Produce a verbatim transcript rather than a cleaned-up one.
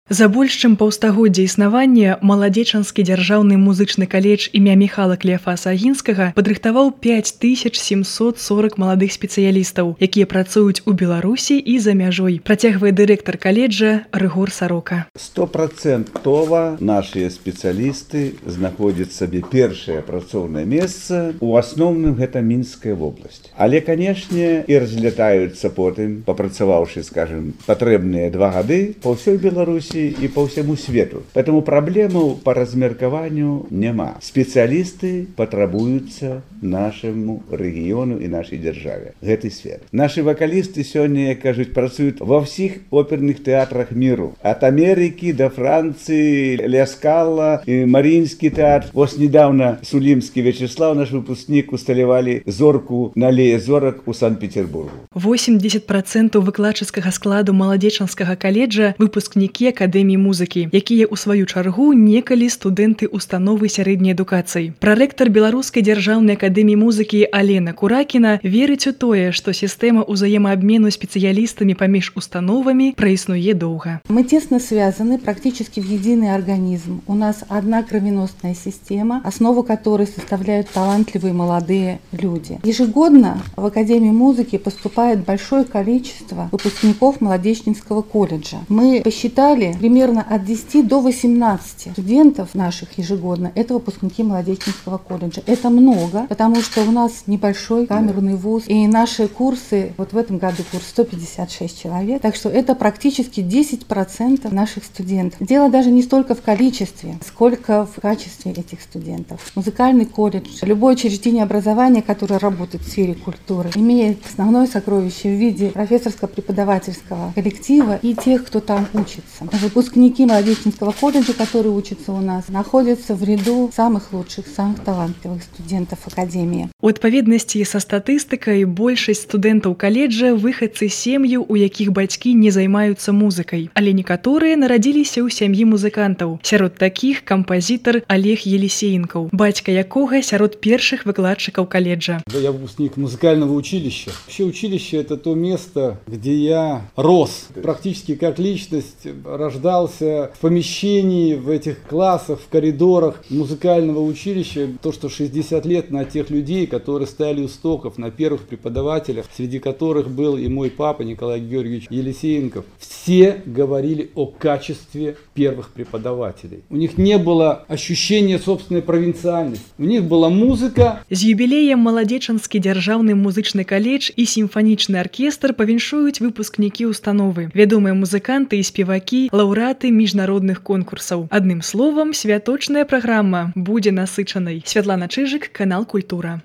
За больш чым паўстагоддзя існавання Маладзечанскі дзяржаўны музычны каледж імя Міхала Клеафаса Агінскага падрыхтаваў пяць тысяч сямсот сорок маладых спецыялістаў, якія працуюць у Беларусі і за мяжой, працягвае дырэктар каледжа Рыгор Сарока. Стопроцентова нашыя спецыялісты знаходзяць сабе першае працоўнае месца. У асноўным гэта Мінская вобласць. Але, канешне, і разлятаюцца потым, папрацаваўшы, скажем, патрэбныя два гады па ўсёй Беларусі и по всему свету. Поэтому проблему по размеркованию нема. Специалисты потребуются нашему региону и нашей державе. В этой сфере. Наши вокалисты сегодня, кажут, працуют во всех оперных театрах миру. От Америки до Франции, Ля Скала, Мариинский театр. Вот недавно Сулимский Вячеслав, наш выпускник, усталевали зорку на Аллее зорок у Санкт-Петербургу. восемьдесят процентов выкладчыцкага складу Маладзечанскага каледжа выпускнікі Акадэміі музыкі, якія ў сваю чаргу некалі студэнты установы сярэдняй адукацыі. Прарэктар Беларускай дзяржаўнай акадэміі музыкі Алена Куракіна верыць у тое, што сістэма ўзаемаабмену спецыялістамі паміж установамі праіснуе доўга. Мы тесно связаны практически в единый организм. У нас одна кровеносная система, основу которой составляют талантливые молодые люди. Ежегодно в Академию музыки поступает большое количество выпускников Молодечнинского колледжа. Мы посчитали, примерно от десяти до восемнадцати студентов наших ежегодно это выпускники Молодеченского колледжа. Это много, потому что у нас небольшой камерный вуз, и наши курсы, вот в этом году курс сто пятьдесят шесть человек, так что это практически десять процентов наших студентов. Дело даже не столько в количестве, сколько в качестве этих студентов. Музыкальный колледж, любое учреждение образования, которое работает в сфере культуры, имеет основное сокровище в виде профессорско-преподавательского коллектива и тех, кто там учится. Выпускники Молодеченского колледжа, которые учатся у нас, находятся в ряду самых лучших, самых талантливых студентов Академии. У адпаведнасці са статыстыкай, большасць студэнтаў каледжа выхадцы сем'яў, у якіх бацькі не займаюцца музыкай, але некаторыя нарадзіліся ў сям'і музыкантаў. Сярод такіх кампазітар Олег Елисеенков, бацька якога сярод першых выкладчыкаў каледжа. Я выпускник музыкального училища. Вообще училище — это то место, где я рос практически как личность, рождался в помещении, в этих классах, в коридорах музыкального училища. То, что шестьдесят лет на тех людей, которые стояли у стоков, на первых преподавателях, среди которых был и мой папа Николай Георгиевич Елисеенков, все говорили о качестве первых преподавателей. У них не было ощущения собственной провинциальности. У них была музыка. З юбілеем Маладзечанскі дзяржаўны музычны каледж і сімфанічны аркестр павіншуюць выпускнікі установы, вядомыя музыканты і спевакі, лаўрэаты міжнародных конкурсаў. Адным словам, святочная праграма будзе насычанай. Святлана Чыжык, канал Культура.